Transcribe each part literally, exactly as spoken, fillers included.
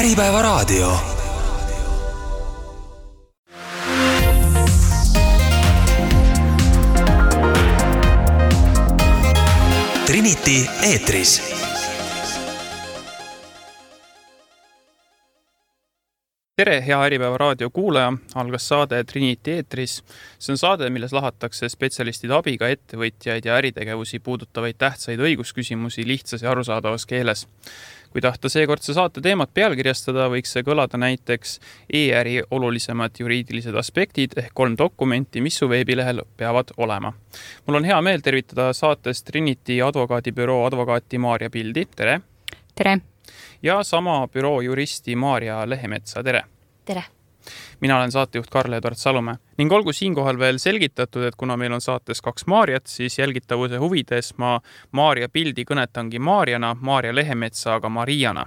Äripäeva raadio. Trinity eetris. Tere, hea Äripäeva raadio kuulaja, algas saade Trinity eetris. See on saade, milles lahatakse spetsialistide abiga ettevõtjaid ja äritegevusi puudutavaid tähtsaid õigusküsimusi lihtsas ja arusaadavas keeles. Kui tahta seekordse saate teemat pealkirjastada, võiks see kõlada näiteks e-äri olulisemad juriidilised aspektid ehk kolm dokumenti, mis su veebilehel peavad olema. Mul on hea meel tervitada saates Trinity advokaadibüroo advokaati Maarja Pildi. Tere! Tere! Ja sama büroo juristi Maarja Lehemetsa. Tere! Tere! Mina olen saatejuht Karl-Edvard Salumäe. Ning olgu siinkohal veel selgitatud, et kuna meil on saates kaks Maarjat, siis jälgitavuse huvides ma Maarja Pildi kõnetangi Maarjana, Maarja Lehemetsa aga Mariana.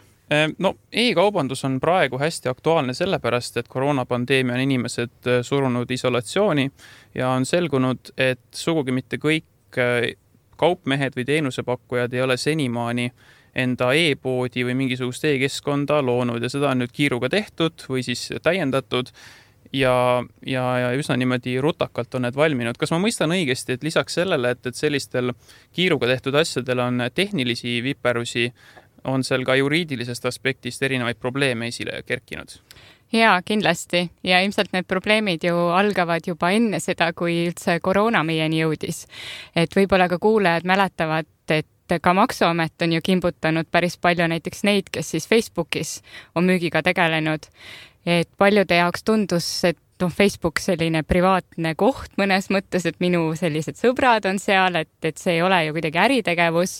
No, e-kaubandus on praegu hästi aktuaalne sellepärast, et koroonapandeemia on inimesed surunud isolatsiooni ja on selgunud, et sugugi mitte kõik kaupmehed või teenusepakkujad ei ole senimaani enda e-poodi või mingisugust e-keskkonda loonud ja seda on nüüd kiiruga tehtud või siis täiendatud ja, ja, ja üsna niimoodi rutakalt on need valminud. Kas ma mõistan õigesti, et lisaks sellele, et, et sellistel kiiruga tehtud asjadel on tehnilisi viperusi, on seal ka juriidilisest aspektist erinevaid probleeme esile kerkinud? Jaa, kindlasti. Ja ilmselt need probleemid ju algavad juba enne seda, kui üldse koroona meieni jõudis. Et võib-olla ka kuulajad mäletavad, et ka Maksuamet on ju kimbutanud päris palju näiteks neid, kes siis Facebookis on müügiga tegelenud. Et paljude jaoks tundus, et no, Facebook selline privaatne koht mõnes mõttes, et minu sellised sõbrad on seal, et, et see ei ole ju kuidagi äritegevus.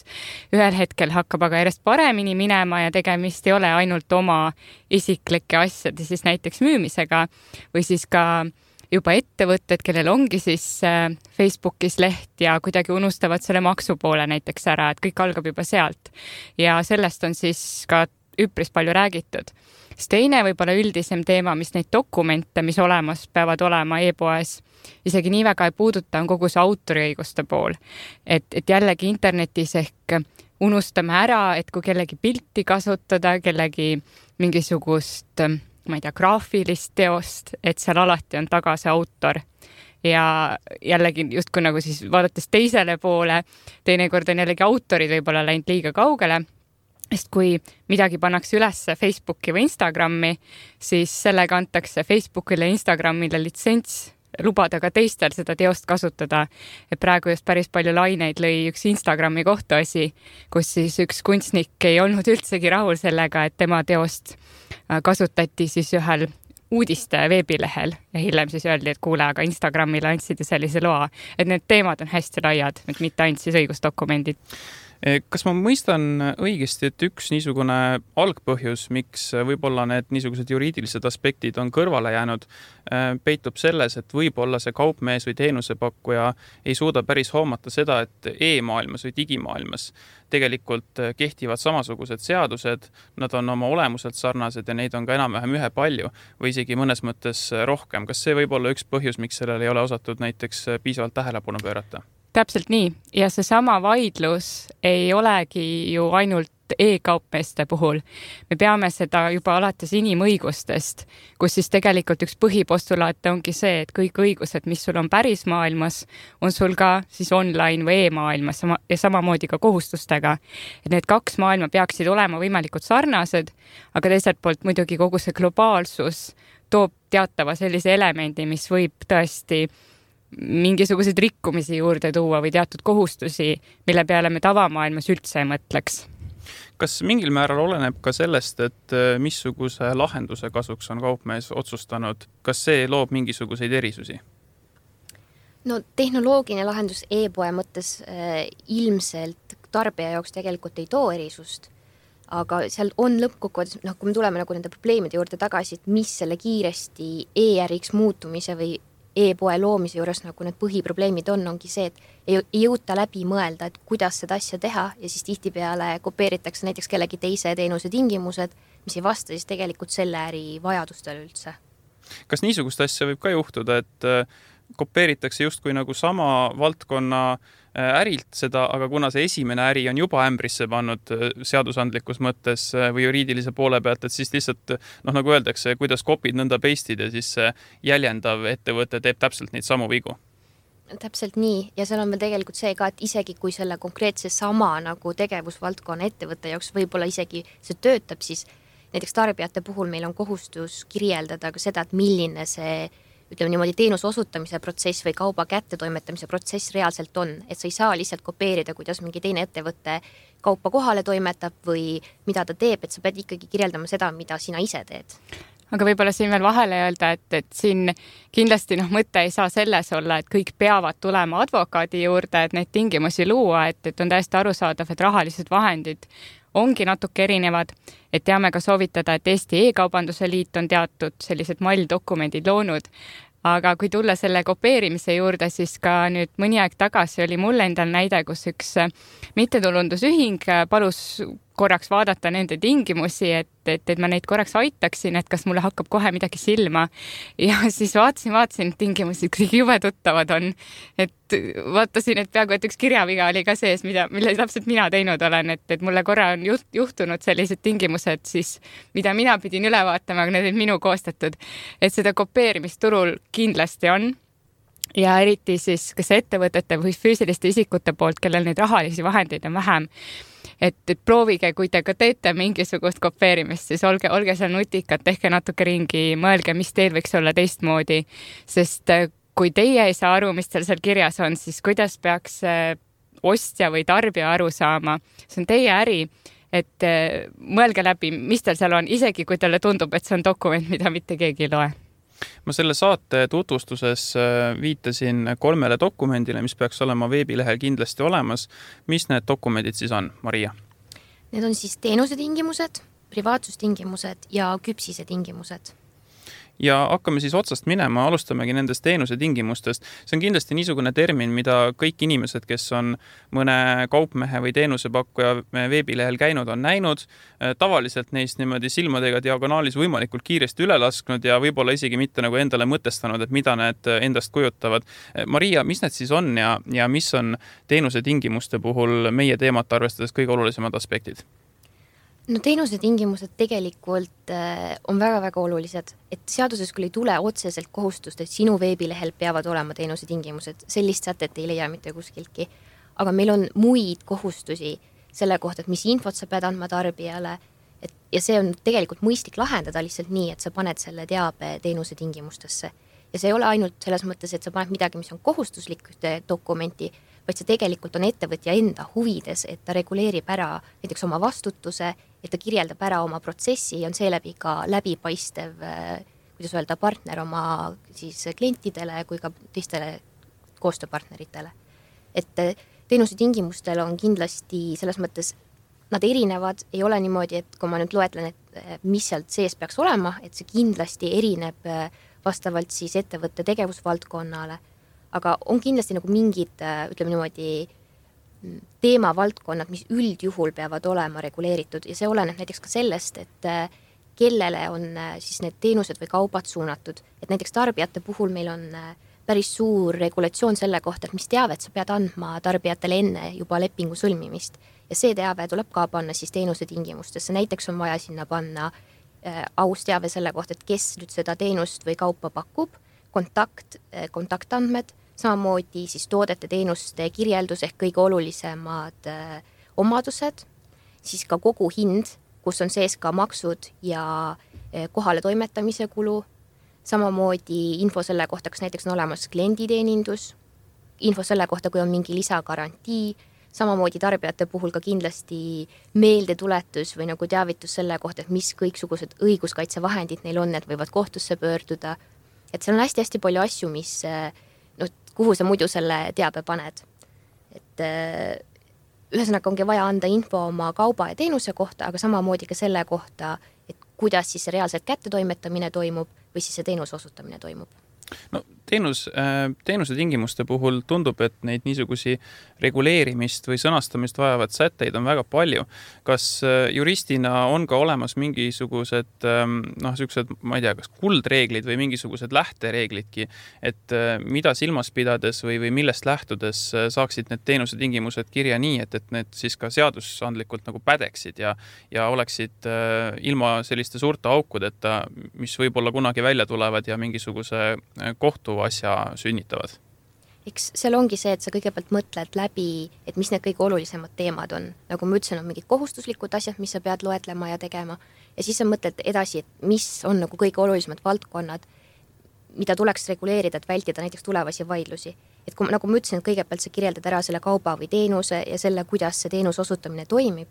Ühel hetkel hakkab aga järjest paremini minema ja tegemist ei ole ainult oma isiklike asjade siis näiteks müümisega või siis ka juba ettevõtted, kellel ongi siis Facebookis leht ja kuidagi unustavad selle maksupoole näiteks ära, et kõik algab juba sealt. Ja sellest on siis ka üpris palju räägitud. Siis teine võib-olla üldisem teema, mis neid dokumente, mis olemas peavad olema e-poes, isegi nii väga ei puuduta, on kogu see autoriõiguste pool. Et, et jällegi internetis ehk unustame ära, et kui kellegi pilti kasutada, kellegi mingisugust ma ei tea, graafilist teost, et seal alati on taga see autor. Ja jällegi just kui nagu siis vaadates teisele poole, teinekord on jällegi autorid võib-olla läinud liiga kaugele, sest kui midagi pannakse üles Facebooki või Instagrami, siis sellega antakse Facebookile ja Instagramile litsents lubada ka teistel seda teost kasutada. Et praegu just päris palju laineid lõi üks Instagrami kohtuasi, kus siis üks kunstnik ei olnud üldsegi rahul sellega, et tema teost kasutati siis ühel uudiste veebilehel ja hiljem siis öeldi, et kuule, aga Instagramile andsid sellise loa. Et need teemad on hästi laiad, et mitte ainult siis õigusdokumendid. Kas ma mõistan õigesti, et üks niisugune algpõhjus, miks võib-olla need niisugused juriidilised aspektid on kõrvale jäänud, peitub selles, et võib-olla see kaupmees või teenusepakkuja ei suuda päris hoomata seda, et e-maailmas või digimaailmas tegelikult kehtivad samasugused seadused, nad on oma olemuselt sarnased ja neid on ka enam-vähem ühe palju või isegi mõnes mõttes rohkem. Kas see võib olla üks põhjus, miks sellele ei ole osatud näiteks piisavalt tähelepanu pöörata? Täpselt nii. Ja see sama vaidlus ei olegi ju ainult e-kaupmeeste puhul. Me peame seda juba alates inimõigustest, kus siis tegelikult üks põhipostulaate ongi see, et kõik õigused, mis sul on päris maailmas, on sul ka siis online või e-maailmas ja samamoodi ka kohustustega. Et need kaks maailma peaksid olema võimalikult sarnased, aga teiselt poolt muidugi kogu see globaalsus toob teatava sellise elemendi, mis võib tõesti mingisuguseid rikkumisi juurde tuua või teatud kohustusi, mille peale me tavamaailmas üldse ei mõtleks. Kas mingil määral oleneb ka sellest, et missuguse lahenduse kasuks on kaupmees otsustanud? Kas see loob mingisuguseid erisusi? No tehnoloogiline lahendus e-poe mõttes äh, ilmselt tarbija jaoks tegelikult ei too erisust, aga seal on lõppkokkuvõttes, noh, kui me tuleme nagu nende probleemide juurde tagasi, et mis selle kiiresti e-äriks muutumise või e-poe loomise juures nagu need põhiprobleemid on, ongi see, et ei, ei jõuta läbi mõelda, et kuidas seda asja teha ja siis tihtipeale kopeeritakse näiteks kellegi teise teenuse tingimused, mis ei vasta siis tegelikult selle äri vajadustele üldse. Kas niisugust asja võib ka juhtuda, et kopeeritakse justkui nagu sama valdkonna ärilt seda, aga kuna see esimene äri on juba ämbrisse pannud seadusandlikus mõttes või juriidilise poole pealt, et siis lihtsalt, noh, nagu öeldakse, kuidas kopid nõnda peistid ja siis jäljendav ettevõte teeb täpselt neid samu vigu. Täpselt nii ja seal on veel tegelikult see ka, et isegi kui selle konkreetse sama nagu tegevusvaldkonna ettevõtte jaoks võib-olla isegi see töötab, siis näiteks tarbijate puhul meil on kohustus kirjeldada ka seda, et milline see ütleme niimoodi teenuse osutamise protsess või kauba kättetoimetamise protsess reaalselt on, et sa ei saa lihtsalt kopeerida, kuidas mingi teine ettevõte kaupa kohale toimetab või mida ta teeb, et sa pead ikkagi kirjeldama seda, mida sina ise teed. Aga võib-olla siin veel vahele öelda, et, et siin kindlasti noh, mõte ei saa selles olla, et kõik peavad tulema advokaadi juurde, et neid tingimusi luua, et, et on täiesti arusaadav, et rahalised vahendid ongi natuke erinevad, et teame ka soovitada, et Eesti E-kaubanduse liit on teatud sellised malldokumendid loonud, aga kui tulla selle kopeerimise juurde, siis ka nüüd mõni aeg tagasi oli mul endal näide, kus üks mittetulundusühing palus korraks vaadata nende tingimusi, et, et, et ma neid korraks aitaksin, et kas mulle hakkab kohe midagi silma. Ja siis vaatasin, vaatasin tingimusi, kõik jube tuttavad on. Et vaatasin, et peaaegu, et üks kirjaviga oli ka sees, mida, mille täpselt mina teinud olen, et, et mulle korra on juht, juhtunud sellised tingimused, siis, mida mina pidin üle vaatama, aga need olid minu koostatud. Et seda kopeerimisturul kindlasti on. Ja eriti siis kas ettevõtete või füüsiliste isikute poolt, kellel neid rahalisi vahendeid on vähem, et, et proovige, kui te ka teete mingisugust kopeerimist, siis olge, olge seal nutikad, tehke natuke ringi, mõelge, mis teil võiks olla teistmoodi, sest kui teie ei saa aru, mis teil seal kirjas on, siis kuidas peaks ostja või tarbija aru saama, see on teie äri, et mõelge läbi, mis teil seal on, isegi kui teile tundub, et see on dokument, mida mitte keegi ei loe. Ma selle saate tutvustuses viitasin kolmele dokumendile, mis peaks olema veebilehel kindlasti olemas. Mis need dokumendid siis on, Maria? Need on siis teenusetingimused, privaatsustingimused ja küpsise tingimused. Ja hakkame siis otsast minema, alustamegi nendest teenuse tingimustest. See on kindlasti niisugune termin, mida kõik inimesed, kes on mõne kaupmehe või teenusepakkuja veebilehel käinud, on näinud. Tavaliselt neist niimoodi silmadega diagonaalis võimalikult kiiresti üle lasknud ja võib-olla isegi mitte nagu endale mõtestanud, et mida need endast kujutavad. Maria, mis need siis on ja, ja mis on teenuse tingimuste puhul meie teemat arvestades kõige olulisemad aspektid? No teenuse tingimused tegelikult on väga-väga olulised, et seaduses küll ei tule otseselt kohustust, et sinu veebilehel peavad olema teenuse tingimused. Sellist sätet ei leia mitte kuskiltki. Aga meil on muid kohustusi selle kohta, et mis infot sa pead andma tarbijale. Et, ja see on tegelikult mõistlik lahendada lihtsalt nii, et sa paned selle teabe teenuse tingimustesse. Ja see ei ole ainult selles mõttes, et sa paned midagi, mis on kohustuslik ühte dokumenti, vaid see tegelikult on ettevõtja enda huvides, et ta reguleerib ära näiteks oma vastutuse, et ta kirjeldab ära oma protsessi ja on seeläbi ka läbipaistev, kuidas öelda, partner oma siis klientidele kui ka teistele koostööpartneritele. Et teenuse tingimustel on kindlasti selles mõttes, nad erinevad, ei ole niimoodi, et kui ma nüüd loetlen, et mis sealt sees peaks olema, et see kindlasti erineb vastavalt siis ettevõtte tegevusvaldkonnale, aga on kindlasti nagu mingid, ütleme niimoodi, teemavaldkonnad, mis üldjuhul peavad olema reguleeritud ja see oleneb näiteks ka sellest, et kellele on siis need teenused või kaubad suunatud. Et näiteks tarbijate puhul meil on päris suur regulatsioon selle kohta, et mis teavet sa pead andma tarbijatele enne juba lepingu sõlmimist. Ja see teave tuleb ka panna siis teenuse tingimustesse. Näiteks on vaja sinna panna aus teave selle kohta, et kes nüüd seda teenust või kaupa pakub, kontakt, kontaktandmed, samamoodi siis toodete teenuste kirjeldus ehk kõige olulisemad äh, omadused, siis ka kogu hind, kus on sees ka maksud ja äh, kohale toimetamise kulu, samamoodi info selle kohta, kas näiteks on olemas klienditeenindus, info selle kohta, kui on mingi lisagarantii, samamoodi tarbijate puhul ka kindlasti meeldetuletus või nagu teavitus selle kohta, et mis kõiksugused õiguskaitsevahendid neil on, et võivad kohtusse pöörduda. Et seal on hästi-hästi palju asju, mis äh, kuhu sa muidu selle teabe paned. Et ühesõnaga ongi vaja anda info oma kauba ja teenuse kohta, aga samamoodi ka selle kohta, et kuidas siis reaalselt kättetoimetamine toimub või siis see teenuse osutamine toimub. No teenus, teenuse tingimuste puhul tundub, et neid niisugusi reguleerimist või sõnastamist vajavad sätteid on väga palju. Kas juristina on ka olemas mingisugused, noh, sellised, ma ei tea, kas kuldreeglid või mingisugused lähtereeglidki, et mida silmas pidades või, või millest lähtudes saaksid need teenuse tingimused kirja nii, et, et need siis ka seadusandlikult nagu pädeksid ja, ja oleksid ilma selliste suurte aukudeta, mis võib-olla kunagi välja tulevad ja mingisuguse kohtuasja sünnitavad? Eks seal ongi see, et sa kõigepealt mõtled läbi, et mis need kõige olulisemad teemad on. Nagu ma ütlesin, on mingid kohustuslikud asjad, mis sa pead loetlema ja tegema. Ja siis sa mõtled edasi, et mis on nagu kõige olulisemad valdkonnad, mida tuleks reguleerida, et vältida näiteks tulevasi vaidlusi. Et kui, nagu ma ütlesin, et kõigepealt sa kirjeldad ära selle kauba või teenuse ja selle, kuidas see teenuse osutamine toimib.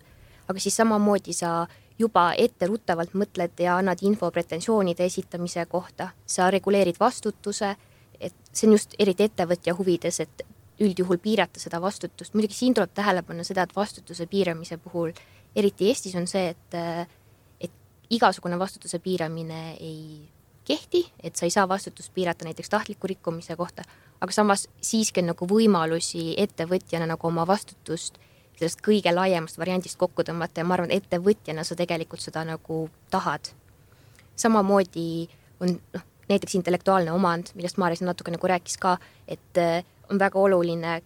Aga siis samamoodi sa juba ette ruttavalt mõtled ja annad info pretensioonide esitamise kohta. Sa reguleerid vastutuse, et see on just eriti ettevõtja huvides, et üldjuhul piirata seda vastutust. Muidugi siin tuleb tähele panna seda, et vastutuse piiramise puhul, eriti Eestis on see, et, et igasugune vastutuse piiramine ei kehti, et sa ei saa vastutust piirata näiteks tahtliku rikkumise kohta, aga samas siiski on nagu võimalusi ettevõtjana nagu oma vastutust sellest kõige laiemast variandist kokku tõmmata ja ma arvan, et ettevõtjana sa tegelikult seda nagu tahad. Samamoodi on noh, näiteks intellektuaalne omand, millest Maaris natuke nagu rääkis ka, et on väga oluline,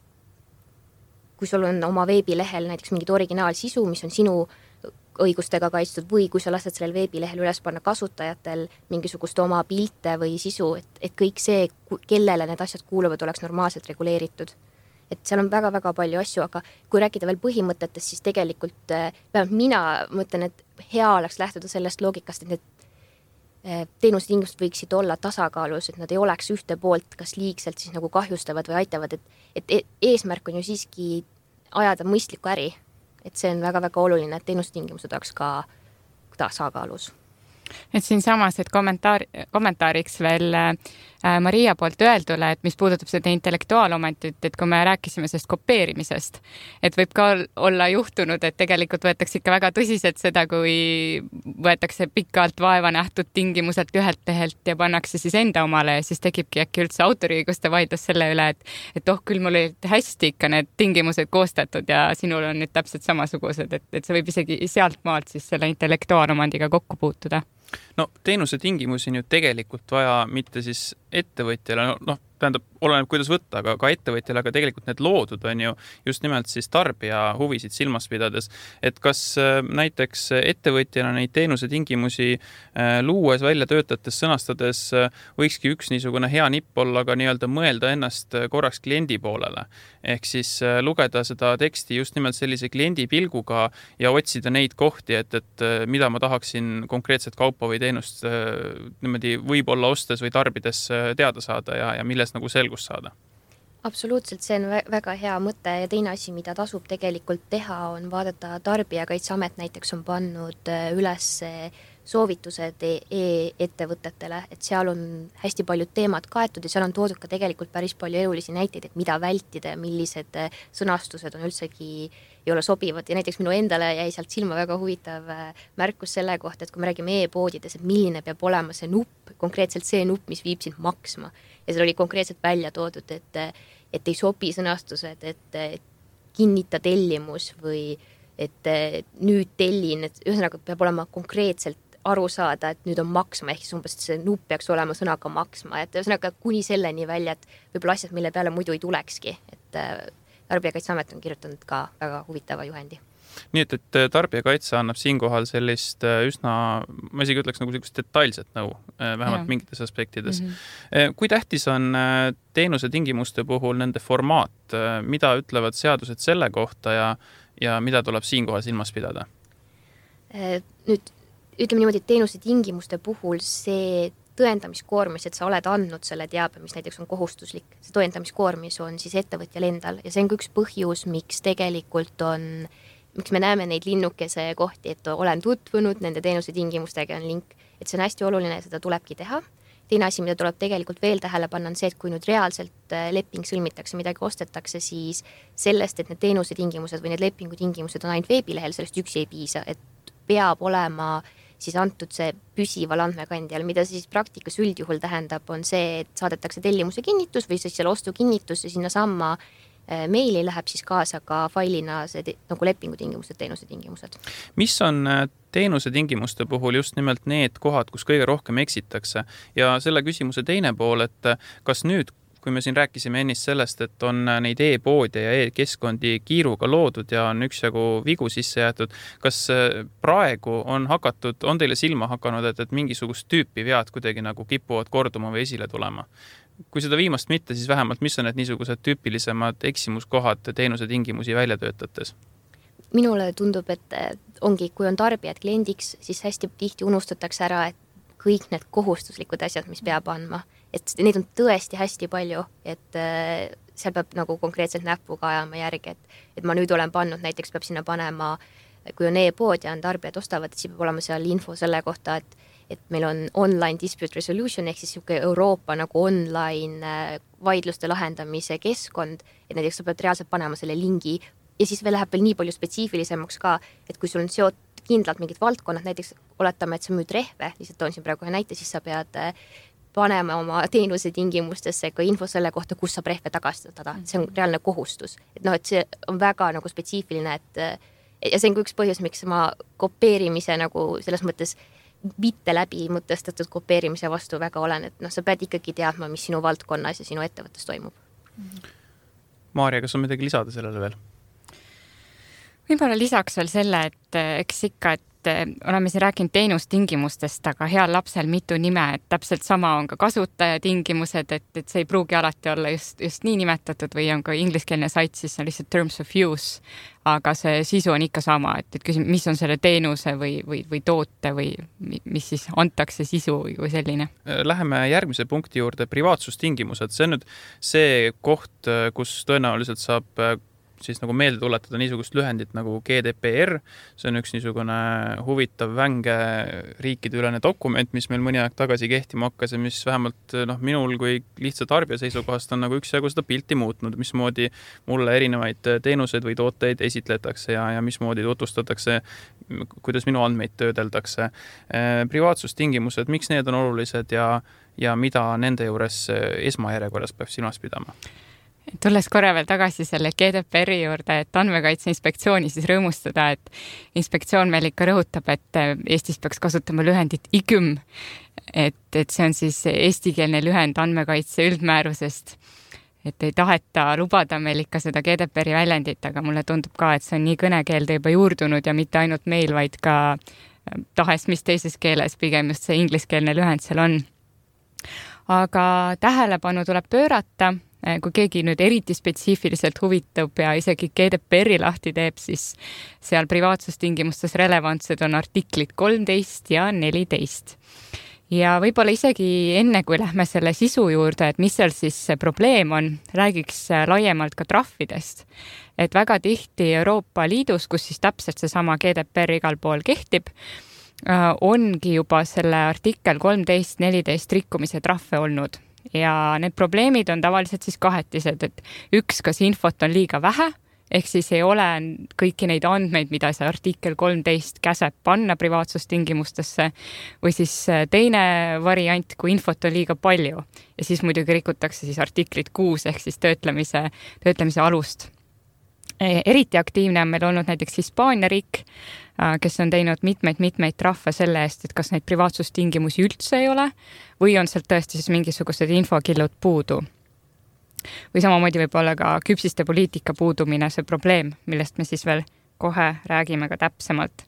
kui sul on oma veebilehel näiteks mingid originaalsisu, mis on sinu õigustega kaitstud või kui sa lased sellel veebilehel üles panna kasutajatel mingisugust oma pilte või sisu, et, et kõik see, kellele need asjad kuuluvad, oleks normaalselt reguleeritud. Et seal on väga-väga palju asju, aga kui rääkida veel põhimõtetest, siis tegelikult vähemalt mina mõtlen, et hea oleks lähtuda sellest loogikast, et need teenustingimused võiksid olla tasakaalus, et nad ei oleks ühte poolt kas liigselt siis nagu kahjustavad või aitavad, et, et eesmärk on ju siiski ajada mõistlikku äri, et see on väga-väga oluline, et teenustingimused oleks ka tasakaalus. Et siin samas, et kommentaar, kommentaariks veel äh, Maria poolt öeldule, et mis puudutab seda intellektuaalomantit, et kui me rääkisime sellest kopeerimisest, et võib ka olla juhtunud, et tegelikult võetakse ikka väga tõsiselt seda, kui võetakse pikalt vaeva nähtud tingimuselt ühelt tehelt ja pannakse siis enda omale ja siis tekibki äkki üldse autoriõiguste vaidlus selle üle, et, et oh, küll mul olid hästi ikka need tingimused koostatud ja sinul on nüüd täpselt samasugused, et, et see võib isegi sealt maalt siis selle intellektuaalomandiga kokku puutuda. No teenuse tingimusi on ju tegelikult vaja mitte siis ettevõtjale, noh, tähendab, oleneb kuidas võtta, aga ka ettevõtjale, aga tegelikult need loodud on ju just nimelt siis tarbija huvisid silmas pidades, et kas näiteks ettevõtjana neid teenuse tingimusi luues, välja töötates, sõnastades võikski üks niisugune hea nipp olla ka nii-öelda mõelda ennast korraks kliendi poolele. Ehk siis lugeda seda teksti just nimelt sellise kliendi pilguga ja otsida neid kohti, et, et mida ma tahaksin konkreetset kaupa või teenust niimoodi võib-olla ostes või tarbides teada saada ja, ja milles nagu selgust saada. Absoluutselt, see on väga hea mõte ja teine asi, mida tasub tegelikult teha, on vaadata Tarbijakaitseamet näiteks on pannud üles soovitused e-ettevõtetele, et seal on hästi paljud teemad kaetud ja seal on toodud ka tegelikult päris palju elulisi näiteid, et mida vältida ja millised sõnastused on üldsegi ei ole sobivad ja näiteks minu endale jäi sealt silma väga huvitav märkus selle kohta, et kui me räägime e-poodides, et milline peab olema see nupp, konkreetselt see nupp, mis viib sind maksma ja seal oli konkreetselt välja toodud, et, et ei sobi sõnastused, et, et kinnita tellimus või et nüüd tellin, et ühesõnaga peab olema konkreetselt aru saada, et nüüd on maksma, ehk siis umbes see nupp peaks olema sõnaga maksma, et ühesõnaga kuni selleni välja, et võib-olla asjad, mille peale muidu ei tulekski, et Tarbijakaitseamet on kirjutanud ka väga huvitava juhendi. Nii et, et Tarbijakaitse annab siinkohal sellist üsna, ma isegi ütleks nagu sellist detailset nõu, vähemalt ja. mingites aspektides. Mm-hmm. Kui tähtis on teenuse tingimuste puhul nende formaat, mida ütlevad seadused selle kohta ja, ja mida tuleb siinkohal silmas pidada? Nüüd ütleme niimoodi, et teenuse tingimuste puhul see tõendamiskoormis, et sa oled andnud selle teabe, mis näiteks on kohustuslik. See tõendamiskoormis on siis ettevõtjal endal ja see on üks põhjus, miks tegelikult on, miks me näeme neid linnukese kohti, et olen tutvunud nende teenuse tingimustega on link, et see on hästi oluline ja seda tulebki teha. Teine asi, mida tuleb tegelikult veel tähele panna, on see, et kui nüüd reaalselt leping sõlmitakse, midagi ostetakse, siis sellest, et need teenuse tingimused või need lepingu tingimused on ainult veebilehel, sellest üksi ei piisa, et peab olema siis antud see püsival andmekandjal, mida siis praktikas üldjuhul tähendab, on see, et saadetakse tellimuse kinnitus või siis selle ostu kinnitus ja sinna samma meili läheb siis kaasa ka failina see te, nagu lepingutingimused, teenuse tingimused. Mis on teenuse tingimuste puhul just nimelt need kohad, kus kõige rohkem eksitakse? Ja selle küsimuse teine pool, et kas nüüd, kui me siin rääkisime ennist sellest, et on neid e-poode ja e-keskkondi kiiruga loodud ja on üksjagu vigu sisse jäetud, kas praegu on hakatud, on teile silma hakanud, et, et mingisugust tüüpi vead kuidagi nagu kipuvad korduma või esile tulema? Kui seda viimast mitte, siis vähemalt mis on need niisugused tüüpilisemad eksimuskohad teenuse tingimusi välja töötates? Minule tundub, et ongi, kui on tarbijad kliendiks, siis hästi tihti unustatakse ära, et kõik need kohustuslikud asjad, mis peab andma, et neid on tõesti hästi palju, et seal peab nagu konkreetselt näpuga ajama järgi, et, et ma nüüd olen pannud, näiteks peab sinna panema, kui on e-pood ja on tarbijad ostavad, et siis peab olema seal info selle kohta, et et meil on online dispute resolution ehk siis Euroopa nagu online vaidluste lahendamise keskkond, et näiteks sa pead reaalselt panema selle lingi ja siis veel läheb veel nii palju spetsiifilisemaks ka, et kui sul on seotud kindlalt mingid valdkonnad, näiteks oletame, et sa müüd rehve, lihtsalt toon siin praegu ühe näite, siis sa pead panema oma teenuse tingimustesse ka info selle kohta, kus saab rehve tagastada. See on reaalne kohustus. Et noh, et see on väga nagu spetsiifiline, et ja see on üks põhjus, miks ma kopeerimise nagu selles mõttes mitte läbi mõtestatud kopeerimise vastu väga olen, et noh, sa pead ikkagi teadma, mis sinu valdkonnas ja sinu ettevõttes toimub. Maarja, kas on midagi lisada sellele veel? Võib-olla lisaks veel selle, et eks ikka, et oleme siin rääkinud teenustingimustest, aga heal lapsel mitu nime, et täpselt sama on ka kasutajatingimused, et, et see ei pruugi alati olla just, just nii nimetatud või on ka ingliskeelne sait, siis on lihtsalt terms of use, aga see sisu on ikka sama, et, et küsim, mis on selle teenuse või, või, või toote või mis siis antakse sisu või selline. Läheme järgmise punkti juurde, privaatsustingimused. See on nüüd see koht, kus tõenäoliselt saab siis nagu meelde tuletada niisugust lühendit nagu G D P R. See on üks niisugune huvitav vänge riikide ülene dokument, mis meil mõni aeg tagasi kehtima hakkas ja mis vähemalt noh, minul kui lihtsa tarbija seisukohast on nagu üksjagu seda pilti muutnud, mismoodi mulle erinevaid teenuseid või tooteid esitletakse ja, ja mismoodi tutvustatakse, kuidas minu andmeid töödeldakse. Privaatsustingimused, miks need on olulised ja, ja mida nende juures esmajärjekorras peab silmas pidama? Tulles korra veel tagasi selle G D P R-i juurde, et andmekaitse inspektsiooni siis rõõmustada, et inspektsioon meil ikka rõhutab, et Eestis peaks kasutama lühendit I G M, et, et see on siis eestikeelne lühend andmekaitse üldmäärusest, et ei taheta lubada meil ikka seda G D P R-i väljendit, aga mulle tundub ka, et see on nii kõnekeelde juba juurdunud ja mitte ainult meil, vaid ka tahes mis teises keeles, pigem just see ingliskeelne lühend seal on. Aga tähelepanu tuleb pöörata, kui keegi nüüd eriti spetsiifiliselt huvitub ja isegi G D P R-i lahti teeb, siis seal privaatsustingimustes relevantsed on artiklid kolmteist ja neliteist. Ja võib-olla isegi enne, kui lähme selle sisu juurde, et mis seal siis probleem on, räägiks laiemalt ka trahvidest. Et väga tihti Euroopa Liidus, kus siis täpselt seesama G D P R igal pool kehtib, ongi juba selle artikkel kolmteist neliteist rikkumise trahve olnud. Ja need probleemid on tavaliselt siis kahetised, et üks, kas infot on liiga vähe, ehk siis ei ole kõiki neid andmeid, mida see artikkel kolmteist käseb panna privaatsustingimustesse, või siis teine variant, kui infot on liiga palju ja siis muidugi rikutakse siis artiklit kuus ehk siis töötlemise, töötlemise alust. Eriti aktiivne on meil olnud näiteks Hispaania riik, kes on teinud mitmeid-mitmeid trahve selle eest, et kas neid privaatsustingimusi üldse ei ole või on sealt tõesti siis mingisugused infokillud puudu. Või samamoodi võib olla ka küpsiste poliitika puudumine see probleem, millest me siis veel kohe räägime ka täpsemalt.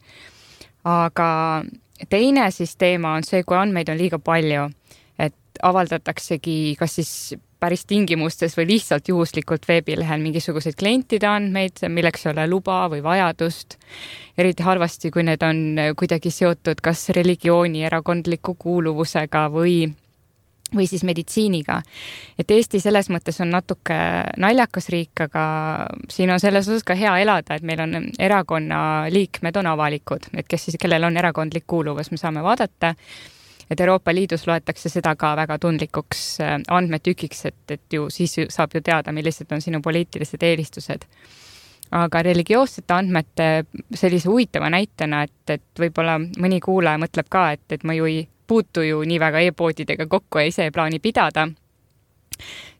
Aga teine siis teema on see, kui andmeid on liiga palju, et avaldataksegi kas siis päris tingimustes või lihtsalt juhuslikult veebilehel mingisuguseid klientide andmeid, milleks ei ole luba või vajadust. Eriti halvasti, kui need on kuidagi seotud kas religiooni, erakondliku kuuluvusega või, või siis meditsiiniga. Et Eesti selles mõttes on natuke naljakas riik, aga siin on selles osas ka hea elada, et meil on erakonna liikmed on avalikud, et kes siis, kellel on erakondlik kuuluvus, me saame vaadata. Et Euroopa Liidus loetakse seda ka väga tundlikuks andmetükiks, et, et ju siis saab ju teada, millised on sinu poliitilised eelistused. aga religioossete andmete sellise huvitava näitena, et, et võib-olla mõni kuulaja mõtleb ka, et, et ma ju ei puutu ju nii väga e-poodidega kokku ja ise ei plaani pidada,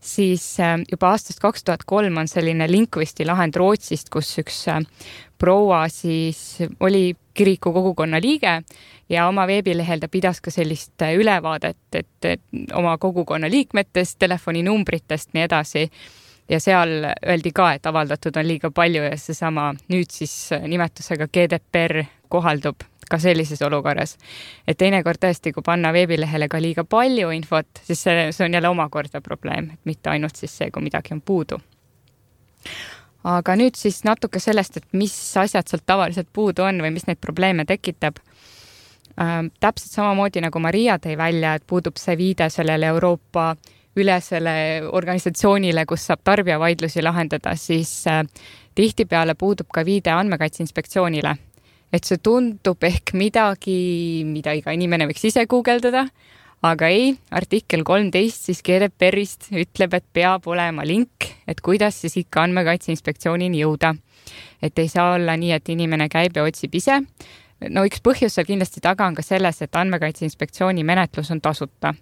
siis juba aastast kaks tuhat kolm on selline Linkvisti lahend Rootsist, kus üks proua siis oli kiriku kogukonna liige ja oma veebilehel ta pidas ka sellist ülevaadet, et, et oma kogukonna liikmetest, telefoninumbritest, nii edasi. Ja seal öeldi ka, et avaldatud on liiga palju ja seesama nüüd siis nimetusega G D P R kohaldub ka sellises olukorras. Et teinekord tõesti, kui panna veebilehele ka liiga palju infot, siis see, see on jälle omakorda probleem, et mitte ainult siis see, kui midagi on puudu. Aga nüüd siis natuke sellest, et mis asjad sealt tavaliselt puudu on või mis neid probleeme tekitab. Äh, täpselt samamoodi nagu Maria tõi välja, et puudub see viide sellele Euroopa ülesele organisatsioonile, kus saab tarbijavaidlusi lahendada, siis äh, tihtipeale puudub ka viide Andmekaitse Inspektsioonile. Et see tundub ehk midagi, mida iga inimene võiks ise guugeldada, aga ei, artikkel kolmteist siis G D P R-ist ütleb, et peab olema link, et kuidas siis ikka Andmekaitse Inspektsioonini jõuda. Et ei saa olla nii, et inimene käib ja otsib ise. No üks põhjus seal kindlasti taga on ka selles, et Andmekaitse Inspektsiooni menetlus on tasuta.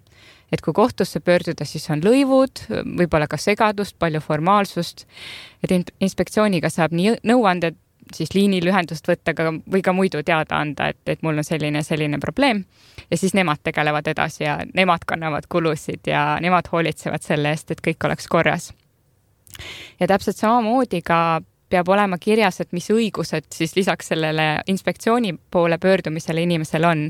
Et kui kohtusse pöörduda, siis on lõivud, võib-olla ka segadust, palju formaalsust. Et inspektsiooniga saab nii nõuanded siis liinilühendust võtta ka, või ka muidu teada anda, et, et mul on selline, selline probleem. Ja siis nemad tegelevad edasi ja nemad kannavad kulusid ja nemad hoolitsevad selle eest, et kõik oleks korras. Ja täpselt samamoodi ka peab olema kirjas, et mis õigused siis lisaks sellele inspektsiooni poole pöördumisele inimesel on.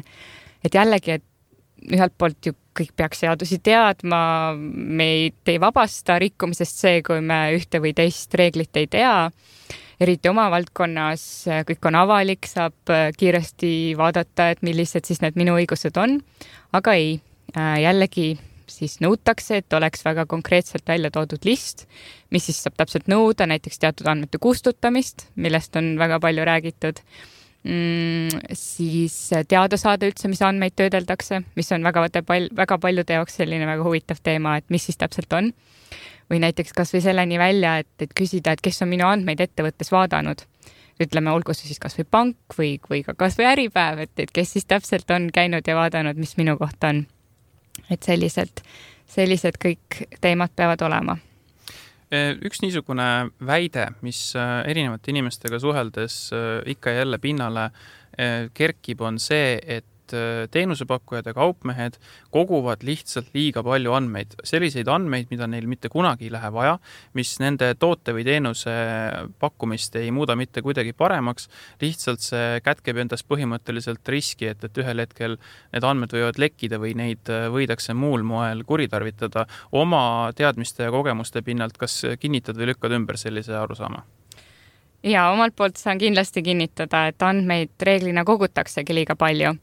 Et jällegi, et ühelt poolt ju kõik peaks seadusi teadma, me ei, ei vabasta rikkumisest see, kui me ühte või teist reeglit ei tea. Eriti oma valdkonnas kõik on avalik, saab kiiresti vaadata, et millised siis need minu õigused on. Aga ei, jällegi siis nõutakse, et oleks väga konkreetselt välja toodud list, mis siis saab täpselt nõuda, näiteks teatud andmete kustutamist, millest on väga palju räägitud. Mm, siis teada saada üldse, mis andmeid töödeldakse, mis on väga, väga paljude jaoks selline väga huvitav teema, et mis siis täpselt on. Või näiteks kas või selleni välja, et, et küsida, et kes on minu andmeid ettevõttes vaadanud. Ütleme, olgu see siis kas või pank või, või ka kas või äripäev, et, et kes siis täpselt on käinud ja vaadanud, mis minu kohta on. Et sellised, sellised kõik teemad peavad olema. Üks niisugune väide, mis erinevate inimestega suheldes ikka ja jälle pinnale kerkib, on see, et teenusepakkujad ja kaupmehed koguvad lihtsalt liiga palju andmeid. Selliseid andmeid, mida neil mitte kunagi ei lähe vaja, mis nende toote või teenuse pakkumist ei muuda mitte kuidagi paremaks. Lihtsalt see kätkeb endas põhimõtteliselt riski, et, et ühel hetkel need andmed võivad lekkida või neid võidakse muul moel kuritarvitada. Oma teadmiste ja kogemuste pinnalt, kas kinnitad või lükkad ümber sellise arusaama? Ja omalt poolt saan kindlasti kinnitada, et andmeid reeglina kogutaksegi liiga palju.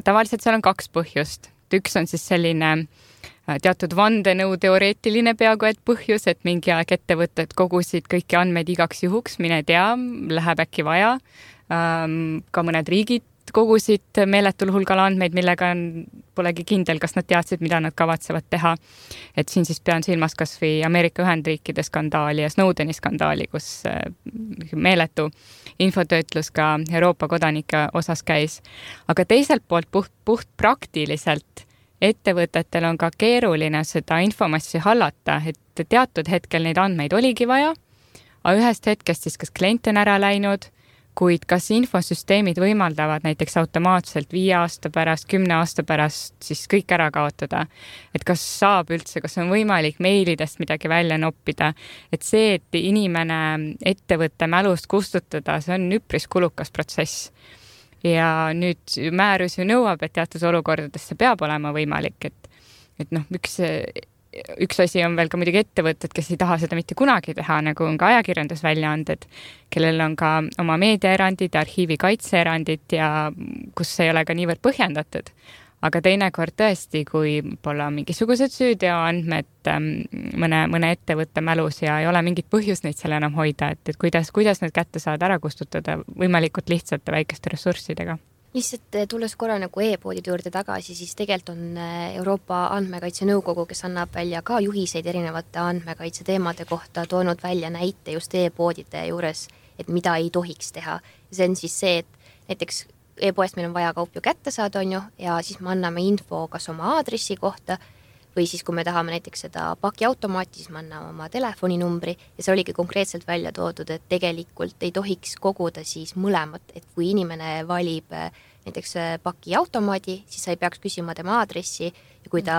Tavaliselt seal on kaks põhjust. Üks on siis selline teatud vandenõu teoreetiline peaaegu et põhjus, et mingi aeg ettevõtted kogusid kõiki andmeid igaks juhuks, mine tea, läheb äkki vaja. Ka mõned riigid kogusid meeletul hulgal andmeid, millega polegi kindel, kas nad teadsid, mida nad kavatsevad teha. Et siin siis pean silmas kas või Ameerika Ühendriikide skandaali ja Snowdeni skandaali, kus meeletu infotöötlus ka Euroopa kodanike osas käis. Aga teiselt poolt puht, puht praktiliselt ettevõtetel on ka keeruline seda infomassi hallata, et teatud hetkel neid andmeid oligi vaja, aga ühest hetkest siis kas klient on ära läinud, kuid kas infosüsteemid võimaldavad näiteks automaatselt viie aasta pärast, kümne aasta pärast siis kõik ära kaotada. Et kas saab üldse, kas on võimalik meilidest midagi välja noppida. Et see, et inimene ettevõtte mälust kustutada, see on üpris kulukas protsess. Ja nüüd määrus ju nõuab, et teatud olukordades see peab olema võimalik, et, et noh, üks Üks asi on veel ka muidugi ettevõtted, kes ei taha seda mitte kunagi teha, nagu on ka ajakirjandusväljaanded, kellel on ka oma meediaerandid, arhiivi kaitseerandid ja kus ei ole ka niivõrd põhjendatud. Aga teinekord tõesti, kui pole mingisugused süüteoandmed mõne, mõne ettevõtte mälus ja ei ole mingit põhjust neid seal enam hoida, et, et kuidas, kuidas need kätte saada ära kustutada võimalikult lihtsate väikeste ressurssidega. Lihtsalt tulles korra nagu e-poodide juurde tagasi, siis tegelikult on Euroopa Andmekaitse Nõukogu, kes annab välja ka juhiseid erinevate andmekaitse teemade kohta, toonud välja näite just e-poodide juures, et mida ei tohiks teha. See on siis see, et näiteks e-poest meil on vaja kaup ju kätte saada, on ju, ja siis me anname info kas oma aadressi kohta või siis kui me tahame näiteks seda pakiautomaati, siis me anname oma telefoninumbri ja see oligi konkreetselt välja toodud, et tegelikult ei tohiks koguda siis mõlemat, et kui inimene valib näiteks pakiautomaadi, siis sa ei peaks küsima tema aadressi ja kui ta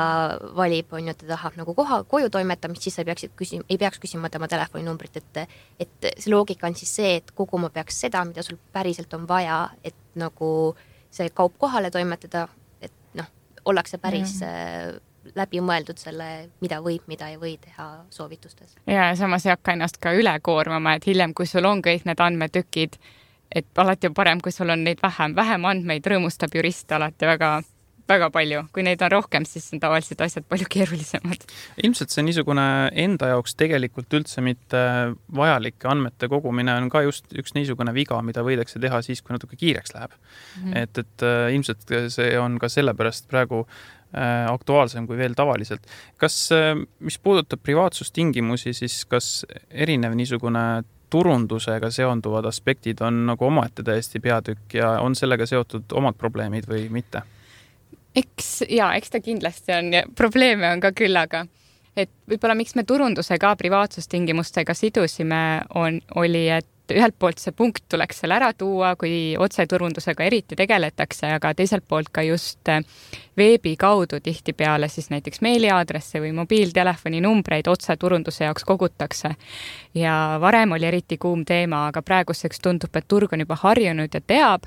valib, on ju, ta tahab nagu koha, koju toimetamist, siis sa ei peaks küsima, ei peaks küsima tema telefoninumbrit, et, et see loogika on siis see, et koguma peaks seda, mida sul päriselt on vaja, et nagu see kaup kohale toimetada, et noh, ollakse päris mm. läbi mõeldud selle, mida võib, mida ei või teha soovitustes. Ja samas ei hakka ennast ka üle koormama, et hiljem, kui sul on kõik need andmetükid, et alati on parem, kui sul on neid vähem. Vähem andmeid rõõmustab jurist alati väga, väga palju. Kui neid on rohkem, siis on tavaliselt asjad palju keerulisemad. Ilmselt see niisugune enda jaoks tegelikult üldse mitte vajalike andmete kogumine on ka just üks niisugune viga, mida võidakse teha siis, kui natuke kiireks läheb. Mm-hmm. Et, et ilmselt see on ka sellepärast praegu aktuaalsem kui veel tavaliselt. Kas, mis puudutab privaatsustingimusi, siis kas erinev niisugune turundusega seonduvad aspektid on nagu omaette täiesti peatükk ja on sellega seotud omad probleemid või mitte? Eks, ja, eks ta kindlasti on ja probleeme on ka küll, aga et võib-olla miks me turunduse ka privaatsustingimustega sidusime, on, oli, et ühelt poolt see punkt tuleks seal ära tuua, kui otseturundusega eriti tegeletakse, aga teiselt poolt ka just veebi kaudu tihti peale siis näiteks meiliaadresse või mobiiltelefoni numbreid otseturunduse jaoks kogutakse. Ja varem oli eriti kuum teema, aga praeguseks tundub, et turg on juba harjunud ja teab,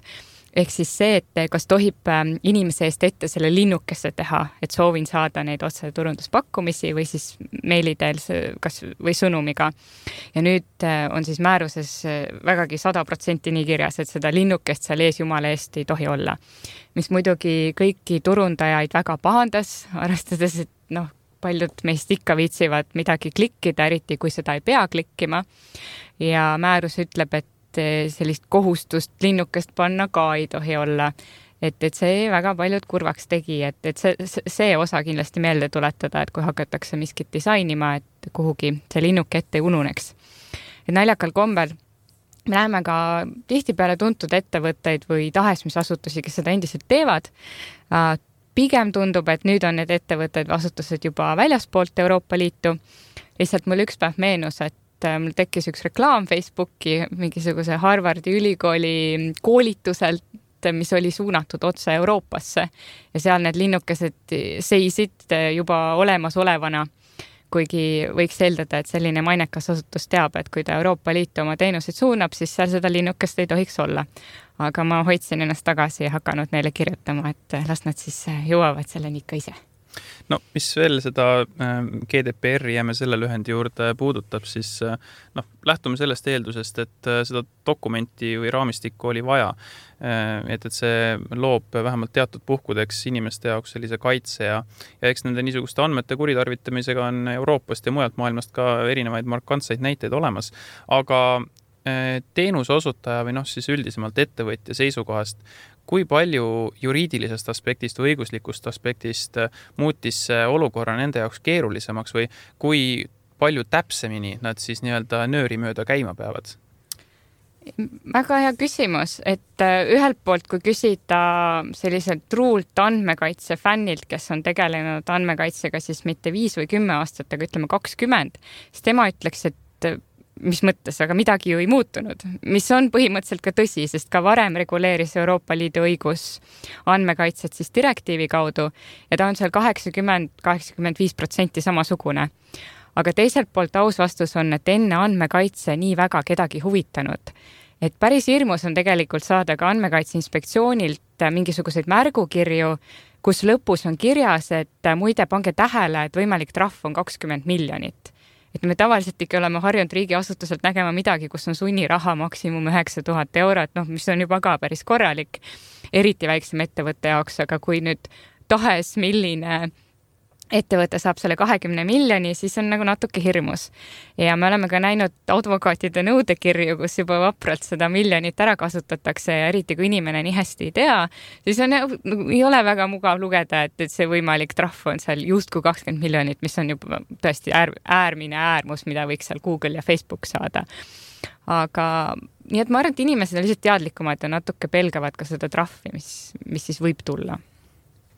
ehk siis see, et kas tohib inimese eest ette selle linnukesse teha, et soovin saada neid otseturunduspakkumisi või siis meiliteel kas, või sõnumiga. Ja nüüd on siis määruses vägagi sada protsenti nii kirjas, et seda linnukest seal ees jumala eest ei tohi olla. Mis muidugi kõiki turundajaid väga pahandas, arvestades, et noh, paljud meist ikka viitsivad midagi klikkida, eriti kui seda ei pea klikkima. Ja määrus ütleb, et sellist kohustust linnukest panna ka ei tohi olla. Et, et see väga paljud kurvaks tegi, et, et see, see osa kindlasti meelde tuletada, et kui hakatakse miskit disainima, et kuhugi see linnuk ette ei ununeks. Et naljakal kombel me näeme ka tihtipeale tuntud ettevõtteid või tahes mis asutusi, kes seda endiselt teevad. Pigem tundub, et nüüd on need ettevõtted asutused juba väljaspoolt Euroopa Liitu. Lihtsalt mul üks päev meenus, et mul tekkis üks reklaam Facebooki mingisuguse Harvardi ülikooli koolituselt, mis oli suunatud otse Euroopasse ja seal need linnukesed seisid juba olemas olevana, kuigi võiks eeldada, et selline mainekas asutus teab, et kui ta Euroopa Liitu oma teenuseid suunab, siis seal seda linnukest ei tohiks olla. Aga ma hoidsin ennast tagasi ja hakanud neile kirjutama, et las nad siis jõuavad selleni ikka ise. No, mis veel seda G D P R-i jääme selle lühendi juurde puudutab, siis noh, lähtume sellest eeldusest, et seda dokumenti või raamistikku oli vaja. Et, et see loob vähemalt teatud puhkudeks inimeste jaoks sellise kaitse ja, ja eks nende niisuguste andmete kuritarvitamisega on Euroopast ja mujalt maailmast ka erinevaid markantseid näiteid olemas. Aga teenuse osutaja või noh, siis üldisemalt ettevõtja seisukohast, kui palju juriidilisest aspektist või õiguslikust aspektist muutis olukorra nende jaoks keerulisemaks või kui palju täpsemini nad siis nii-öelda nööri mööda käima peavad? Väga hea küsimus, et ühelt poolt, kui küsida selliselt truult andmekaitse fännilt, kes on tegelenud andmekaitsega siis mitte viis või kümme aastat, aga ütleme kakskümmend, siis tema ütleks, et mis mõttes, aga midagi ju ei muutunud, mis on põhimõtteliselt ka tõsi, sest ka varem reguleeris Euroopa Liidu õigus andmekaitset siis direktiivi kaudu ja ta on seal kaheksakümmend kuni kaheksakümmend viis protsenti samasugune. Aga teiselt poolt aus vastus on, et enne andmekaitse nii väga kedagi huvitanud. Et päris hirmus on tegelikult saada ka andmekaitse inspektsioonilt mingisuguseid märgukirju, kus lõpus on kirjas, et muide pange tähele, et võimalik trahv on kakskümmend miljonit. Et me tavaliselt ikka oleme harjunud riigiasutuselt nägema midagi, kus on sunniraha maksimum üheksa tuhat eurot, noh, mis on juba ka päris korralik, eriti väiksem ettevõtte jaoks, aga kui nüüd tahes milline ettevõte saab selle kahekümne miljoni, siis on nagu natuke hirmus. Ja me oleme ka näinud advokaatide nõudekirju, kus juba vapralt seda miljonit ära kasutatakse ja eriti kui inimene nii hästi ei tea, siis on, ei ole väga mugav lugeda, et, et see võimalik trahv on seal just kui kakskümmend miljonit, mis on juba tõesti äär, äärmine äärmus, mida võiks seal Google ja Facebook saada. aga nii et ma arvan, et inimesed on lihtsalt teadlikumad ja natuke pelgavad ka seda trahvi, mis, mis siis võib tulla.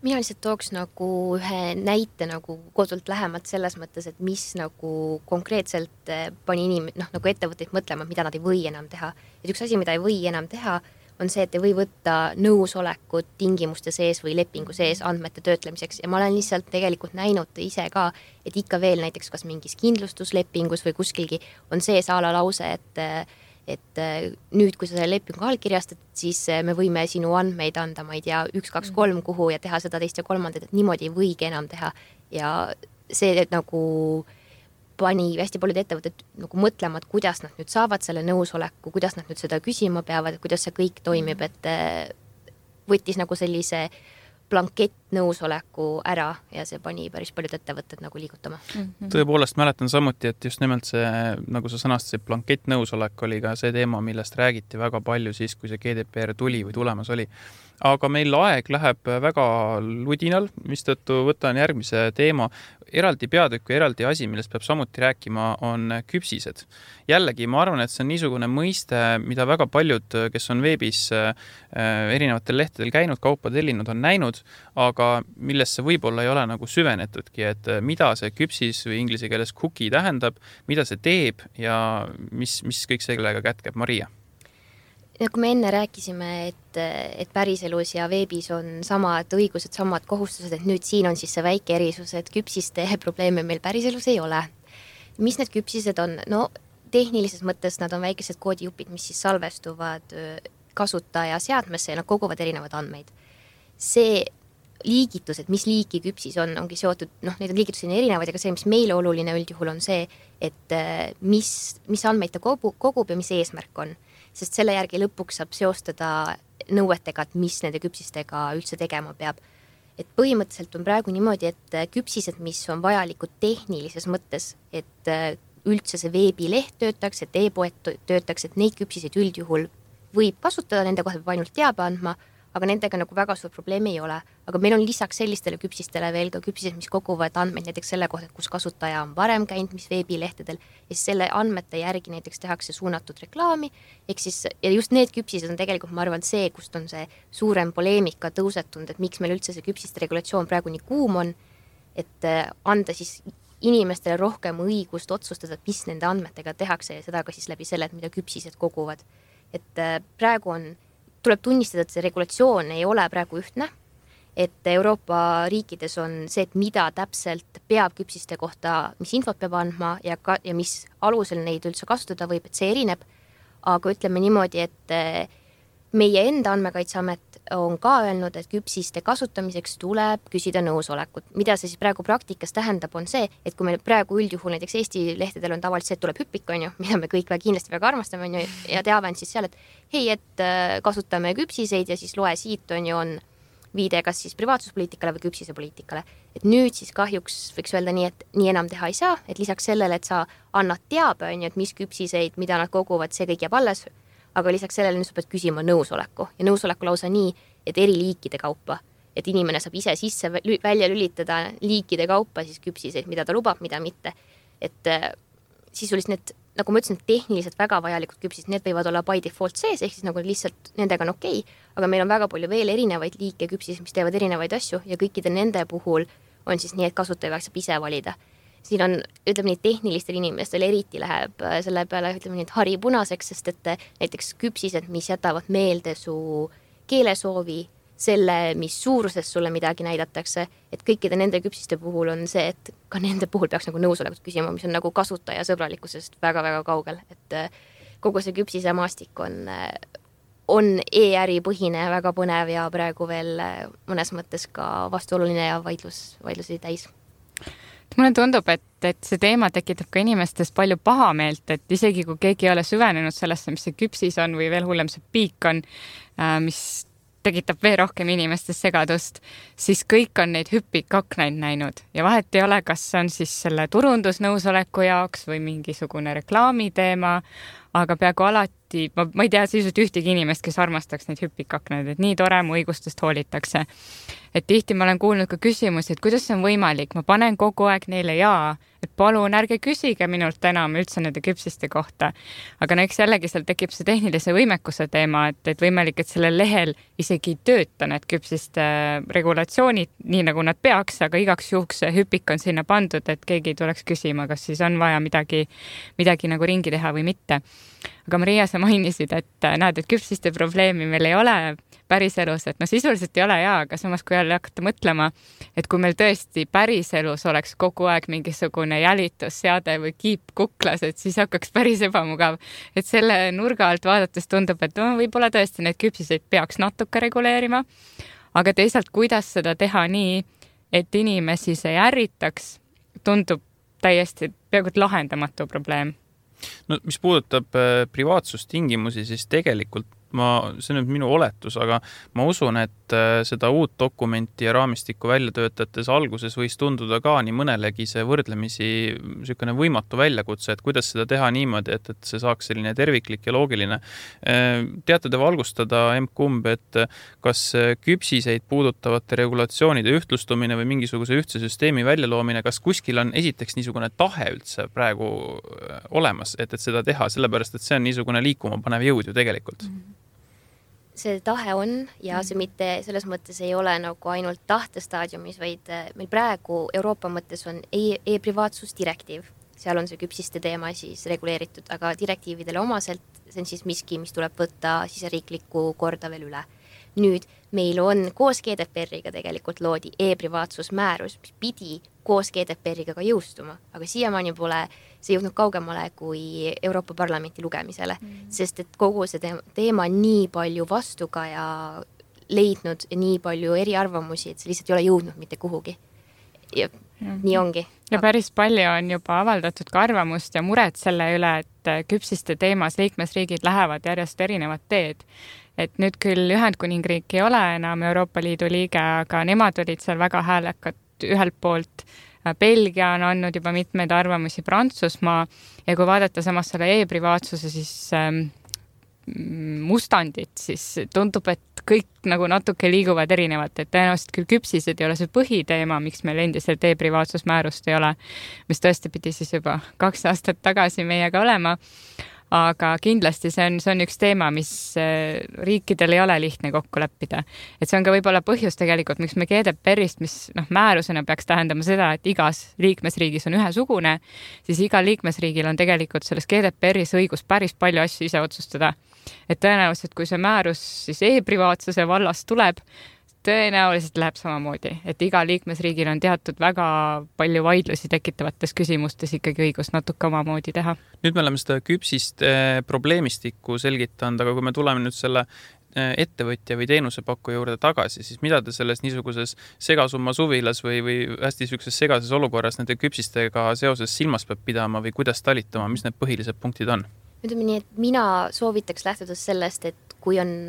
Mina lihtsalt tooks nagu ühe näite nagu kodult lähemalt selles mõttes, et mis nagu konkreetselt pani inim-, noh, nagu ettevõtteid mõtlema, mida nad ei või enam teha. Et üks asi, mida ei või enam teha, on see, et ei või võtta nõusolekut tingimuste sees või lepingu sees andmete töötlemiseks. Ja ma olen lihtsalt tegelikult näinud ise ka, et ikka veel näiteks kas mingis kindlustuslepingus või kuskilgi on sees a la lause, et et nüüd, kui sa selle lepingu allkirjastad, siis me võime sinu andmeid anda, ma ei tea, üks, kaks, kolm kuhu ja teha seda teist ja kolmandat, et niimoodi ei võigi enam teha. Ja see et nagu pani hästi paljud ettevõtted nagu mõtlema, et kuidas nad nüüd saavad selle nõusoleku, kuidas nad nüüd seda küsima peavad, kuidas see kõik toimib, et võttis nagu sellise blankett nõusoleku ära ja see pani päris paljud ettevõtted nagu liigutama. Mm-hmm. Tõepoolest mäletan samuti, et just nimelt see, nagu sa sõnastasid, blankett nõusolek oli ka see teema, millest räägiti väga palju siis, kui see G D P R tuli või tulemas oli. Aga meil aeg läheb väga ludinal, mistõttu võtan järgmise teema. Eraldi peatükk ja eraldi asi, millest peab samuti rääkima, on küpsised. Jällegi, ma arvan, et see on niisugune mõiste, mida väga paljud, kes on veebis erinevatel lehtedel käinud, kaupa tellinud, on näinud, aga millesse võib-olla ei ole nagu süvenetudki, et mida see küpsis või inglise keeles cookie tähendab, mida see teeb ja mis, mis kõik sellega kätkeb. Maria? Nagu me enne rääkisime, et, et päriselus ja veebis on samad õigused, samad kohustused, et nüüd siin on siis see väike erisus, et küpsiste probleeme meil päriselus ei ole. Mis need küpsised on? No tehnilises mõttes nad on väikesed koodijupid, mis siis salvestuvad kasutaja seadmesse ja nad koguvad erinevad andmeid. See liigitus, et mis liiki küpsis on, ongi seotud, noh, neid liigitusi on erinevaid, aga see, mis meile oluline üldjuhul on see, et mis, mis andmeid ta kogub, kogub ja mis eesmärk on. Sest selle järgi lõpuks saab seostada nõuetega, et mis nende küpsistega üldse tegema peab. Et põhimõtteliselt on praegu niimoodi, et küpsised, mis on vajalikud tehnilises mõttes, et üldse see veebileht töötaks, et e-poed töötaks, et neid küpsiseid üldjuhul võib kasutada, nende kohta peab ainult teabe andma, aga nendega nagu väga suur probleem ei ole. Aga meil on lisaks sellistele küpsistele veel ka küpsised, mis koguvad andmeid näiteks selle kohta, kus kasutaja on varem käinud, mis veebilehtedel, ja siis selle andmete järgi näiteks tehakse suunatud reklaami, ehk siis, ja just need küpsised on tegelikult, ma arvan, see, kust on see suurem poleemika tõusetunud, et miks meil üldse see küpsiste regulatsioon praegu nii kuum on, et anda siis inimestele rohkem õigust otsustada, mis nende andmetega tehakse ja seda ka siis läbi selle, et mida küpsised koguvad. Et praegu on tuleb tunnistada, et see regulatsioon ei ole praegu ühtne, et Euroopa riikides on see, et mida täpselt peab küpsiste kohta, mis infot peab andma ja, ka, ja mis alusel neid üldse kasutada võib, et see erineb. Aga ütleme niimoodi, et meie enda andmekaitseamet on ka öelnud, et küpsiste kasutamiseks tuleb küsida nõusolekut. Mida see siis praegu praktikas tähendab, on see, et kui meil praegu üldjuhul näiteks Eesti lehtedel on tavaliselt see, et tuleb hüppik, on ju, mida me kõik väga kindlasti väga armastame, on ju, ja teave on siis seal, et hei, et kasutame küpsiseid ja siis loe siit, on ju, on viide kas siis privaatsuspoliitikale või küpsisepoliitikale. Et nüüd siis kahjuks võiks öelda nii, et nii enam teha ei saa, et lisaks sellele, et sa annad teabe, on ju, et mis küpsiseid, mida nad koguvad, see kõik jääb alles, aga lisaks sellele nüüd sa pead küsima nõusoleku ja nõusoleku lausa nii, et eri liikide kaupa, et inimene saab ise sisse välja lülitada liikide kaupa siis küpsiseid, mida ta lubab, mida mitte. Et sisuliselt need, nagu ma ütlesin, tehniliselt väga vajalikud küpsid, need võivad olla by default sees, ehk siis nagu lihtsalt nendega on okei, aga meil on väga palju veel erinevaid liike küpsis, mis teevad erinevaid asju ja kõikide nende puhul on siis nii, et kasutaja saab ise valida. Siin on, ütleme nii, tehnilistel inimestel eriti läheb selle peale, ütleme nii, et hari punaseks, sest et näiteks küpsised, mis jätavad meelde su keelesoovi, selle, mis suuruses sulle midagi näidatakse, et kõikide nende küpsiste puhul on see, et ka nende puhul peaks nagu nõusolekut küsima, mis on nagu kasutaja sõbralikkusest väga-väga kaugel, et kogu see küpsise maastik on, on e-äri põhine, väga põnev ja praegu veel mõnes mõttes ka vastuoluline ja vaidlus, vaidlusi täis. Mulle tundub, et, et see teema tekitab ka inimestes palju pahameelt, et isegi kui keegi ei ole süvenenud sellesse, mis see küpsis on või veel hullem see piik on, mis tekitab veel rohkem inimestes segadust, siis kõik on neid hüppikaknaid näinud ja vahet ei ole, kas on siis selle turundusnõusoleku jaoks või mingisugune reklaamiteema, aga peaaegu alati, ma, ma ei tea sisuliselt ühtegi inimest, kes armastaks neid hüppikaknaid, et nii tore mu õigustest hoolitakse. et tihti ma olen kuulnud ka küsimusi, et kuidas see on võimalik, ma panen kogu aeg neile jaa, et palun ärge küsige minult enam üldse nende küpsiste kohta. Aga no eks jällegi seal tekib see tehnilise võimekuse teema, et, et võimalik, et sellel lehel isegi ei tööta need küpsiste regulatsioonid nii nagu nad peaks, aga igaks juhuks hüpik on sinna pandud, et keegi ei tuleks küsima, kas siis on vaja midagi, midagi nagu ringi teha või mitte. Aga Maria, sa mainisid, et näed, et küpsiste probleemi meil ei ole päris elus, et no sisuliselt ei ole jaa, aga samas kui jälle hakata mõtlema, et kui meil tõesti päris elus oleks kogu aeg mingisugune jälitusseade või kiip kuklas, et siis hakkaks päris ebamugav. Et selle nurga alt vaadates tundub, et no, võib-olla tõesti need küpsiseid peaks natuke reguleerima, aga teisalt, kuidas seda teha nii, et inimesi see ärritaks, tundub täiesti peaaegu lahendamatu probleem. No mis puudutab privaatsustingimusi, siis tegelikult ma, see on nüüd minu oletus, aga ma usun, et seda uut dokumenti ja raamistikku välja töötates alguses võis tunduda ka nii mõnelegi see võrdlemisi sükene võimatu väljakutse, et kuidas seda teha niimoodi, et, et see saaks selline terviklik ja loogiline. Teate te valgustada M-kumb, et kas küpsiseid puudutavate regulatsioonide ühtlustumine või mingisuguse ühtse süsteemi väljaloomine, kas kuskil on esiteks niisugune tahe üldse praegu olemas, et, et seda teha, sellepärast, et see on niisugune liikuma panev jõud ju tegelikult. Mm-hmm. See tahe on ja see mitte selles mõttes ei ole nagu ainult tahtestaadiumis, vaid meil praegu Euroopa mõttes on e-privaatsusdirektiiv. Seal on see küpsiste teema siis reguleeritud, aga direktiividele omaselt see on siis miski, mis tuleb võtta siseriikliku korda veel üle. Nüüd meil on koos G D P R-iga tegelikult loodi e-privaatsusmäärus, mis pidi koos G D P R-iga ka jõustuma, aga siiamaani pole see jõudnud kaugemale kui Euroopa Parlamenti lugemisele, mm. sest et kogu see teema on nii palju vastuga ja leidnud nii palju eriarvamusi, et see lihtsalt ei ole jõudnud mitte kuhugi. Ja mm. nii ongi. Ja päris palju on juba avaldatud ka arvamust ja muret selle üle, et küpsiste teemas liikmesriigid lähevad järjest erinevad teed. Et nüüd küll Ühendkuningriik ei ole enam Euroopa Liidu liige, aga nemad olid seal väga häälekad ühelt poolt. Belgia on andnud juba mitmeid arvamusi, Prantsusmaa, ja kui vaadata samas selle e-privaatsuse siis ähm, mustandit, siis tundub, et kõik nagu natuke liiguvad erinevalt, et tõenäoliselt küll küpsised ei ole see põhiteema, miks meil endiselt e-privaatsusmäärust ei ole, mis tõesti pidi siis juba kaks aastat tagasi meiega olema. Aga kindlasti see on, see on üks teema, mis riikidel ei ole lihtne kokku leppida. Et see on ka võib-olla põhjus tegelikult, miks me G D P R-ist, mis noh, määrusena peaks tähendama seda, et igas liikmesriigis on ühesugune, siis igal liikmesriigil on tegelikult selles G D P R-is õigus päris palju asju ise otsustada. Et tõenäoliselt, kui see määrus siis e-privaatsuse vallas tuleb, tõenäoliselt läheb samamoodi, et iga liikmesriigil on teatud väga palju vaidlusi tekitavates küsimustes ikkagi õigus natuke omamoodi teha. Nüüd me oleme seda küpsist probleemistikku selgitanud, aga kui me tuleme nüüd selle ettevõtja või teenusepakku juurde tagasi, siis mida te selles niisuguses segasumma suvilas või, või hästi niisuguses segases olukorras nende küpsistega seoses silmas peab pidama või kuidas talitama, mis need põhilised punktid on? Ütleme nii, et mina soovitaks lähtudes sellest, et kui on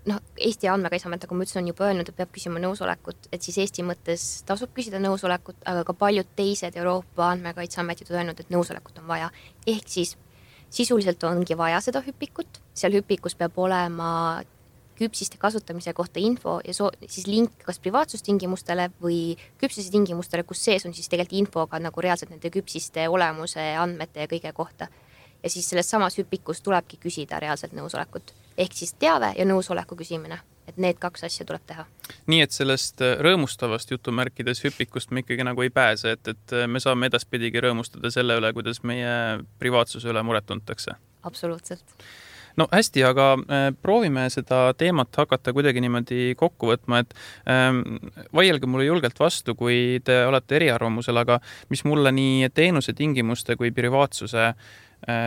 noh, Eesti andmekaitseamet, nagu ma ütlesin, on juba öelnud, et peab küsima nõusolekut, et siis Eesti mõttes tasub küsida nõusolekut, aga ka paljud teised Euroopa andmekaitseametid on öelnud, et nõusolekut on vaja. Ehk siis sisuliselt ongi vaja seda hüpikut, seal hüpikus peab olema küpsiste kasutamise kohta info ja so- siis link kas privaatsustingimustele või küpsise tingimustele, kus sees on siis tegelikult infoga nagu reaalselt nende küpsiste olemuse, andmete ja kõige kohta. Ja siis selles samas hüpikus tulebki küsida reaalselt nõusolekut. Ehk siis teave ja nõusoleku küsimine, et need kaks asja tuleb teha. Nii, et sellest rõõmustavast jutumärkides hüpikust me ikkagi nagu ei pääse, et, et me saame edaspidigi rõõmustada selle üle, kuidas meie privaatsuse üle muret tuntakse. Absoluutselt. No hästi, aga proovime seda teemat hakata kuidagi niimoodi kokku võtma, et ähm, vaielge mulle julgelt vastu, kui te olete eriarvamusel, aga mis mulle nii teenuse tingimuste kui privaatsuse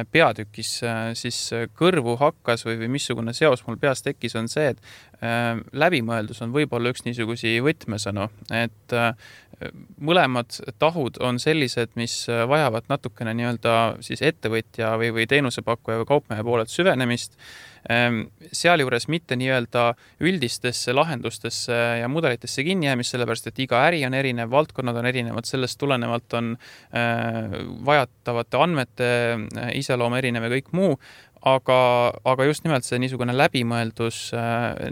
peatükis siis kõrvu hakkas või, või missugune seos mul peas tekkis, on see, et äh, läbimõeldus on võib-olla üks niisugusi võtmesõnu, et äh, mõlemad tahud on sellised, mis vajavad natukene nii-öelda siis ettevõtja või, või teenusepakkuja või kaupmehe poolelt süvenemist, sealjuures mitte nii-öelda üldistesse lahendustesse ja mudelitesse kinni jäämist, sellepärast, et iga äri on erinev, valdkonnad on erinevad, sellest tulenevalt on vajatavate andmete iseloom erinev ja kõik muu, aga, aga just nimelt see niisugune läbimõeldus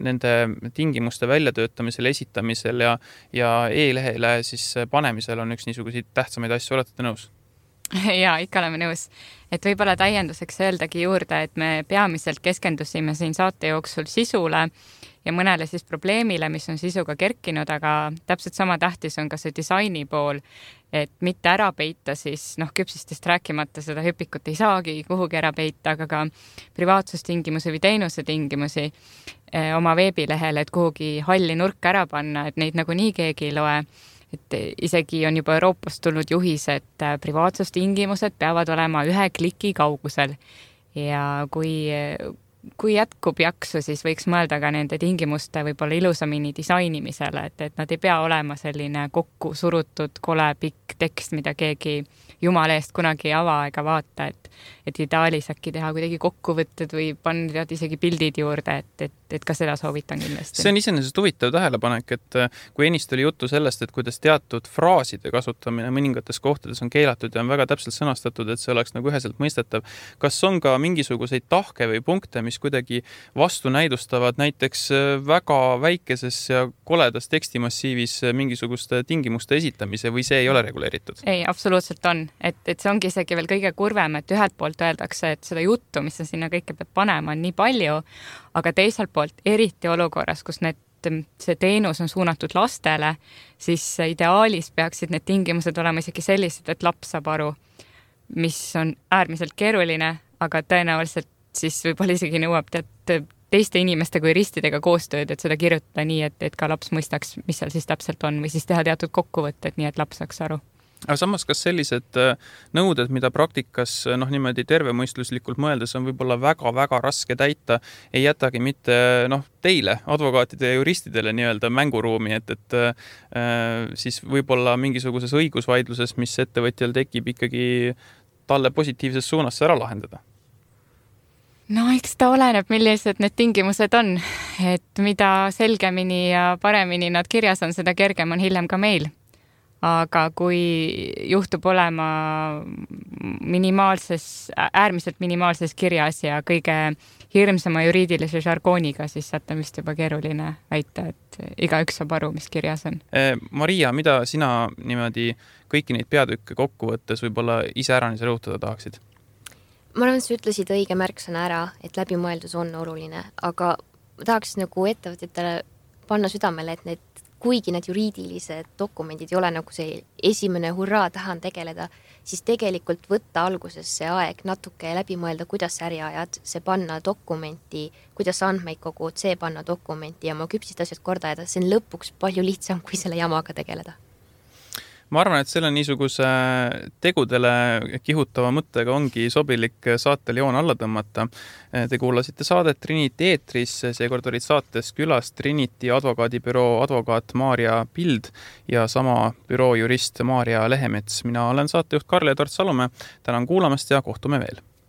nende tingimuste väljatöötamisel, esitamisel ja, ja e-lehele siis panemisel on üks niisuguseid tähtsamaid asju, olete te nõus? Ja ikka oleme nõus, et võib-olla täienduseks öeldagi juurde, et me peamiselt keskendusime siin saate jooksul sisule ja mõnele siis probleemile, mis on sisuga kerkinud, aga täpselt sama tähtis on ka see disaini pool, et mitte ära peita siis, noh, küpsistest rääkimata seda hüpikut ei saagi kuhugi ära peita, aga ka privaatsustingimusi või teenuse tingimusi eh, oma veebilehel, et kuhugi halli nurka ära panna, et neid nagu nii keegi ei loe. Et isegi on juba Euroopast tulnud juhis, et privaatsustingimused peavad olema ühe kliki kaugusel ja kui, kui jätkub jaksu, siis võiks mõelda ka nende tingimuste võib-olla ilusamini disainimisele, et, et nad ei pea olema selline kokku surutud kole pikk tekst, mida keegi jumala eest kunagi ei ava ega vaata, et, et ideaalis äkki teha kuidagi kokkuvõtted või panna isegi pildid juurde, et, et, et ka seda soovitan kindlasti. See on iseenesest huvitav tähelepanek, et kui ennist oli juttu sellest, et kuidas teatud fraaside kasutamine mõningates kohtades on keelatud ja on väga täpselt sõnastatud, et see oleks nagu üheselt mõistetav. Kas on ka mingisuguseid tahke või punkte, mis kuidagi vastu näidustavad näiteks väga väikeses ja koledas tekstimassiivis mingisuguste tingimuste esitamise või see ei ole reguleeritud? Ei, absoluutselt on. Et, et see ongi isegi veel kõige kurvem, et ühelt poolt öeldakse, et seda juttu, mis sa sinna kõike pead panema, on nii palju, aga teiselt poolt eriti olukorras, kus need, see teenus on suunatud lastele, siis ideaalis peaksid need tingimused olema isegi sellised, et laps saab aru, mis on äärmiselt keeruline, aga tõenäoliselt siis võib-olla isegi nõuab tead teiste inimeste kui ristidega koostööd, et seda kirjutada nii, et, et ka laps mõistaks, mis seal siis täpselt on või siis teha teatud kokkuvõtted, nii et laps saaks aru. Aga samas, kas sellised nõuded, mida praktikas noh, niimoodi tervemõistluslikult mõeldes on võib-olla väga-väga raske täita, ei jätagi mitte noh, teile, advokaatide ja juristidele nii-öelda mänguruumi, et, et äh, siis võib-olla mingisuguses õigusvaidluses, mis ettevõtjal tekib ikkagi talle positiivses suunas ära lahendada? No eks ta oleneb, millised need tingimused on, et mida selgemini ja paremini nad kirjas on, seda kergem on hiljem ka meil. Aga kui juhtub olema minimaalses, äärmiselt minimaalses kirjas ja kõige hirmsama juriidilise žargooniga, siis sealt on vist juba keeruline väita, et igaüks saab aru, mis kirjas on. Maria, mida sina niimoodi kõiki neid peatükke kokku võttes võib-olla ise ära nii rõhutada tahaksid? Ma arvan, et sa ütlesid õige märksõna ära, et läbimõeldus on oluline, aga tahaks nagu ettevõtjatele panna südamele, et need, kuigi need juriidilised dokumendid ei ole nagu see esimene hurraa tahan tegeleda, siis tegelikult võtta alguses see aeg natuke läbi mõelda, kuidas äri ajad, see panna dokumenti, kuidas andmeid kogud, see panna dokumenti ja oma küpsist asjad korda ajada, see on lõpuks palju lihtsam, kui selle jamaga tegeleda. Ma arvan, et selle niisuguse tegudele kihutava mõttega ongi sobilik saatel joon alla tõmmata. Te kuulasite saadet Trinity eetris, seekord olid saates külas Trinity advokaadibüroo advokaat Maarja Pild ja sama büroo jurist Maarja Lehemets. Mina olen saatejuht Karl-Edvard Salumäe, tänan kuulamast ja kohtume veel.